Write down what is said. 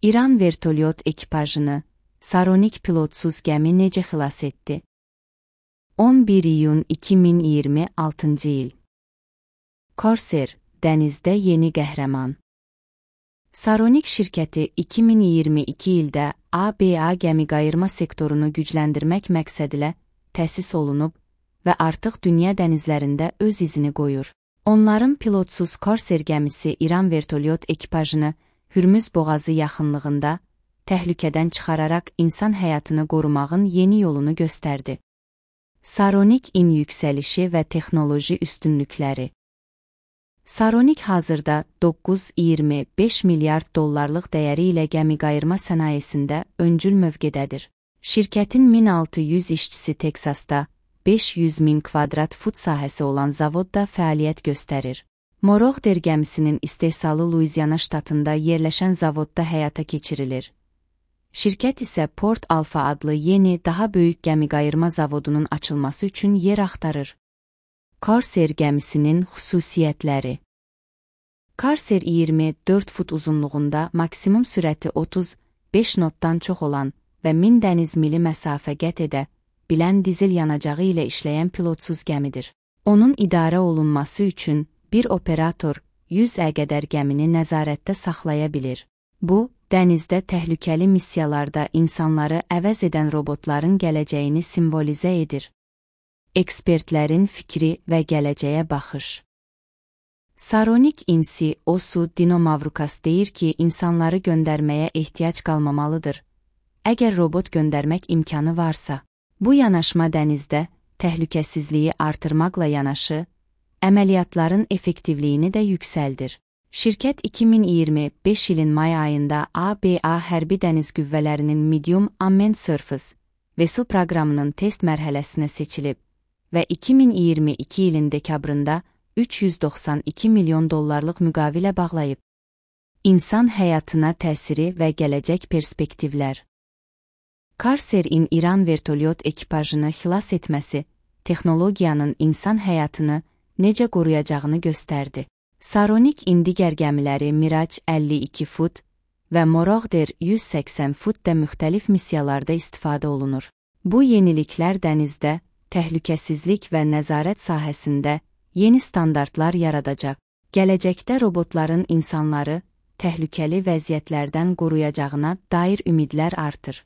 İran vertolyot ekipajını Saronik pilotsuz gəmi necə xilas etdi? 11 iyun 2026 il. Corsair, dənizdə yeni qəhrəman. Saronik şirkəti 2022 ildə ABA gəmiqayırma sektorunu gücləndirmək məqsədilə təsis olunub və artıq dünya dənizlərində öz izini qoyur. Onların pilotsuz Corsair gəmisi İran vertolyot ekipajını Hürmüz boğazı yaxınlığında təhlükədən çıxararaq insan həyatını qorumağın yeni yolunu göstərdi. Saronik in yüksəlişi və texnoloji üstünlükləri. Saronik hazırda 9,25 milyard dollarlıq dəyəri ilə gəmiqayırma sənayesində öncül mövqedədir. Şirkətin 1600 işçisi Teksasda, 500 min kvadrat fut sahəsi olan zavodda fəaliyyət göstərir. Morogder gəmisinin istehsalı Luiziana ştatında yerləşən zavodda həyata keçirilir. Şirkət isə Port Alpha adlı yeni, daha böyük gəmiqayırma zavodunun açılması üçün yer axtarır. Corsair gəmisinin xüsusiyyətləri. Corsair 24 fut uzunluğunda maksimum sürəti 35 notdan çox olan və 1000 dəniz mili məsafə qət edə bilən dizel yanacağı ilə işləyən pilotsuz gəmidir. Onun idarə olunması üçün bir operator 100-ə qədər gəmini nəzarətdə saxlaya bilir. Bu, dənizdə təhlükəli missiyalarda insanları əvəz edən robotların gələcəyini simvolizə edir. Ekspertlərin fikri və gələcəyə baxış. Saronik insi Osu Dinomavrukas deyir ki, insanları göndərməyə ehtiyac qalmamalıdır, əgər robot göndərmək imkanı varsa. Bu yanaşma dənizdə təhlükəsizliyi artırmaqla yanaşı, əməliyyatların effektivliyini də yüksəldir. Şirkət 2025 ilin may ayında ABA hərbi dəniz qüvvələrinin Medium Unmanned Surface Vessel proqramının test mərhələsinə seçilib və 2022 ilin dekabrında 392 milyon dollarlıq müqavilə bağlayıb. İnsan həyatına təsiri və gələcək perspektivlər. Corsair-in İran vertolyot ekipajını xilas etməsi, texnologiyanın insan həyatını necə qoruyacağını göstərdi. Saronik in digər gəmiləri Mirage 52 fut və Morogder 180 fut də müxtəlif missiyalarda istifadə olunur. Bu yeniliklər dənizdə, təhlükəsizlik və nəzarət sahəsində yeni standartlar yaradacaq. Gələcəkdə robotların insanları təhlükəli vəziyyətlərdən qoruyacağına dair ümidlər artır.